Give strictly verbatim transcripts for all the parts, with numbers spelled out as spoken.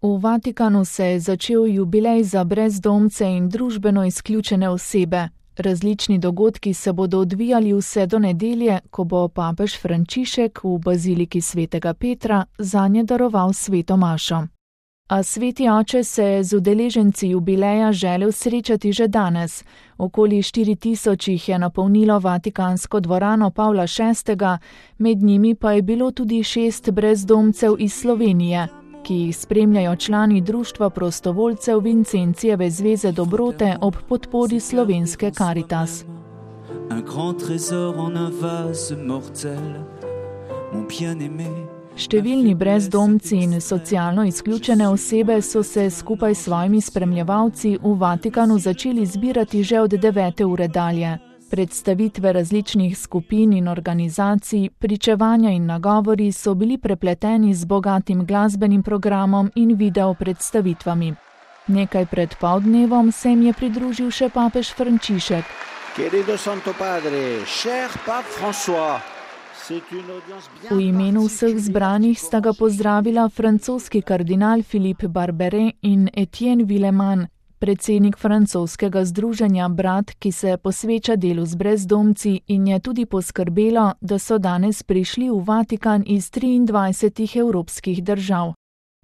V Vatikanu se je začel jubilej za brezdomce in družbeno izključene osebe. Različni dogodki se bodo odvijali vse do nedelje, ko bo papež Frančišek v baziliki svetega Petra zanje daroval sveto mašo. A sveti oče se je z udeleženci jubileja želel srečati že danes. Okoli štiri tisoč jih je napolnilo vatikansko dvorano Pavla šestega, med njimi pa je bilo tudi šest brezdomcev iz Slovenije, ki jih spremljajo člani društva prostovoljcev Vincencijeve zveze dobrote ob podpori slovenske Caritas. Številni brezdomci in socialno izključene osebe so se skupaj s svojimi spremljevalci v Vatikanu začeli zbirati že od devete ure dalje. Predstavitve različnih skupin in organizacij, pričevanja in nagovori so bili prepleteni z bogatim glasbenim programom in video predstavitvami. Nekaj pred poldnevom se jim je pridružil še papež Frančišek. Querido Santo Padre, cher Pape François, v imenu vseh zbranih sta ga pozdravila francoski kardinal Philippe Barberet in Etienne Villeman, predsednik francoskega združenja Brat, ki se posveča delu z brezdomci in je tudi poskrbelo, da so danes prišli v Vatikan iz triindvajsetih evropskih držav.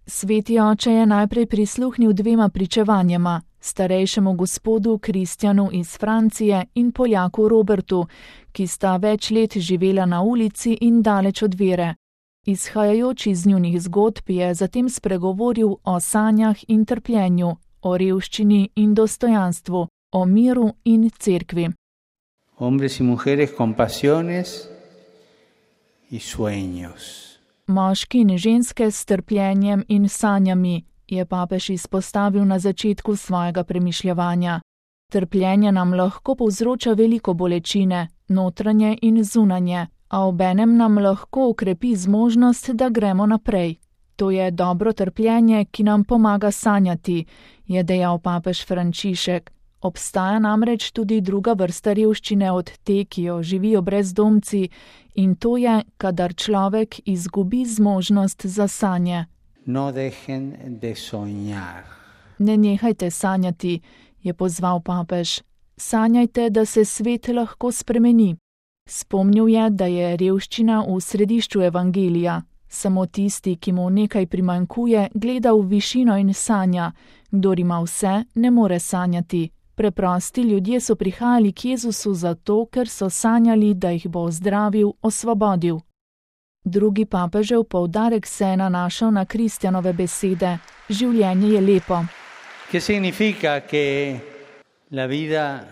Sveti oče je najprej prisluhnil dvema pričevanjema, starejšemu gospodu Kristjanu iz Francije in Poljaku Robertu, ki sta več let živela na ulici in daleč od vere. Izhajajoč iz njunih zgodb je zatem spregovoril o sanjah in trpljenju, o revščini in dostojanstvu, o miru in cerkvi. Hombres y mujeres con pasiones y sueños. Moški in ženske s trpljenjem in sanjami, je papež izpostavil na začetku svojega premišljevanja. Trpljenje nam lahko povzroča veliko bolečine, notranje in zunanje, a obenem nam lahko ukrepi zmožnost, da gremo naprej. To je dobro trpljenje, ki nam pomaga sanjati, je dejal papež Frančišek. Obstaja namreč tudi druga vrsta revščine od te, ki jo živijo brezdomci, in to je, kadar človek izgubi zmožnost za sanje. No dejen de soñar. Ne nehajte sanjati, je pozval papež. Sanjajte, da se svet lahko spremeni. Spomnil je, da je revščina v središču evangelija. Samo tisti, ki mu nekaj primanjkuje, gleda v višino in sanja. Kdor ima vse, ne more sanjati. Preprosti ljudje so prihajali k Jezusu zato, ker so sanjali, da jih bo ozdravil, osvobodil. Drugi papežev poudarek se je nanašal na Kristjanove besede. Življenje je lepo. ¿Qué significa que la vida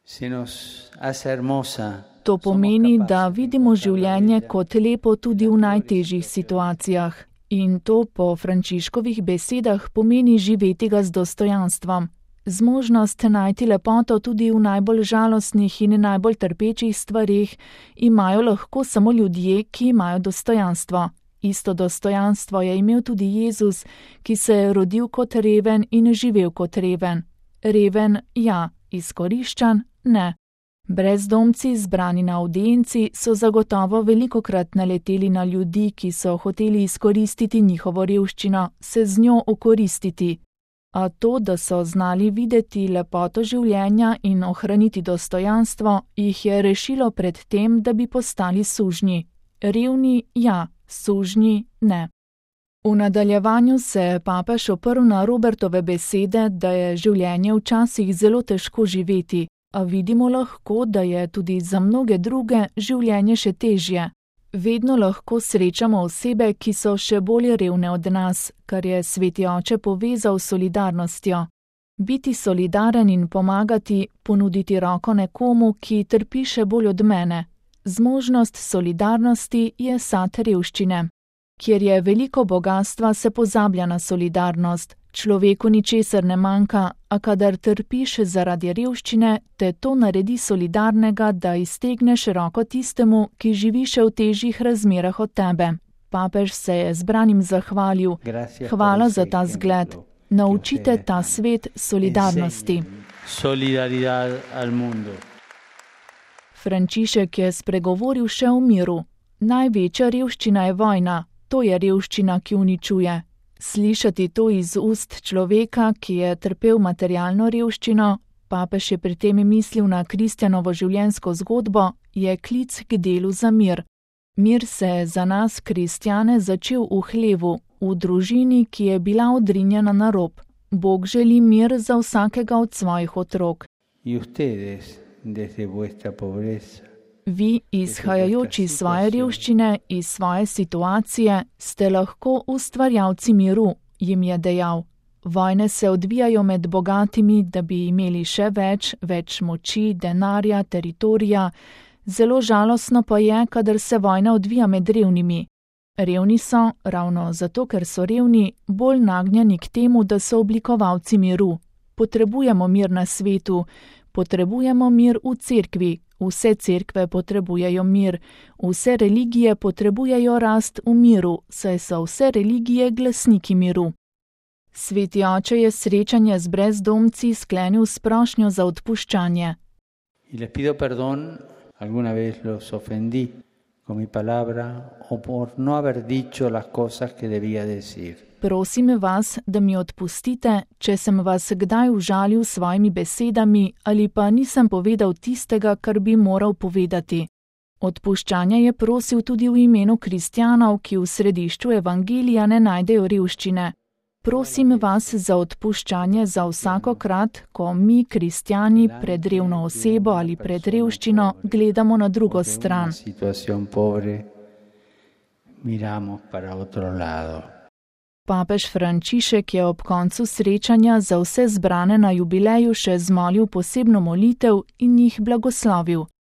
se nos hace hermosa? To pomeni, da vidimo življenje kot lepo tudi v najtežjih situacijah. In to po Frančiškovih besedah pomeni živeti ga z dostojanstvom. Zmožnost najti lepoto tudi v najbolj žalostnih in najbolj trpečih stvareh imajo lahko samo ljudje, ki imajo dostojanstvo. Isto dostojanstvo je imel tudi Jezus, ki se je rodil kot reven in živel kot reven. Reven, ja, izkoriščan, ne. Brezdomci, zbrani na avdienci, so zagotovo velikokrat naleteli na ljudi, ki so hoteli izkoristiti njihovo revščino, se z njo okoristiti. A to, da so znali videti lepoto življenja in ohraniti dostojanstvo, jih je rešilo pred tem, da bi postali sužnji. Revni, ja, sužnji, ne. V nadaljevanju se je papež oprl na Robertove besede, da je življenje včasih zelo težko živeti, a vidimo lahko, da je tudi za mnoge druge življenje še težje. Vedno lahko srečamo osebe, ki so še bolj revne od nas, kar je sveti oče povezal s solidarnostjo. Biti solidaren in pomagati, ponuditi roko nekomu, ki trpi še bolj od mene. Zmožnost solidarnosti je sad revščine. Kjer je veliko bogastva, se pozablja na solidarnost. Človeku ničesar ne manjka, a kadar trpiš zaradi revščine, te to naredi solidarnega, da iztegneš roko tistemu, ki živi še v težjih razmerah od tebe. Papež se je zbranim zahvalil. Hvala za ta zgled. Naučite ta svet solidarnosti. Frančišek je spregovoril še o miru. Največja revščina je vojna. To je revščina, ki uničuje. Slišati to iz ust človeka, ki je trpel materialno revščino, papež je pri tem mislil na Kristjanovo življenjsko zgodbo, je klic k delu za mir. Mir se je za nas, kristjane, začel v hlevu, v družini, ki je bila odrinjena na rob. Bog želi mir za vsakega od svojih otrok. Vi, izhajajoči iz svoje revščine, iz svoje situacije, ste lahko ustvarjalci miru, jim je dejal. Vojne se odvijajo med bogatimi, da bi imeli še več, več moči, denarja, teritorija. Zelo žalostno pa je, kadar se vojna odvija med revnimi. Revni so, ravno zato, ker so revni, bolj nagnjeni k temu, da so oblikovalci miru. Potrebujemo mir na svetu, potrebujemo mir v cerkvi, vse cerkve potrebujejo mir, vse religije potrebujejo rast v miru, saj so vse religije glasniki miru. Sveti oče je srečanje z brezdomci sklenil s prošnjo za odpuščanje. Alguna vez los ofendí con mi palabra o por no haber dicho las cosas que debía decir. Prosim vas, da mi odpustite, če sem vas kdaj užalil s svojimi besedami ali pa nisem povedal tistega, kar bi moral povedati. Odpuščanje je prosil tudi v imenu kristjanov, ki v središču evangelija ne najdejo revščine. Prosim vas za odpuščanje za vsakokrat, ko mi, kristjani, pred revno osebo ali pred revščino gledamo na drugo stran. Papež Frančišek je ob koncu srečanja za vse zbrane na jubileju še zmolil posebno molitev in jih blagoslovil.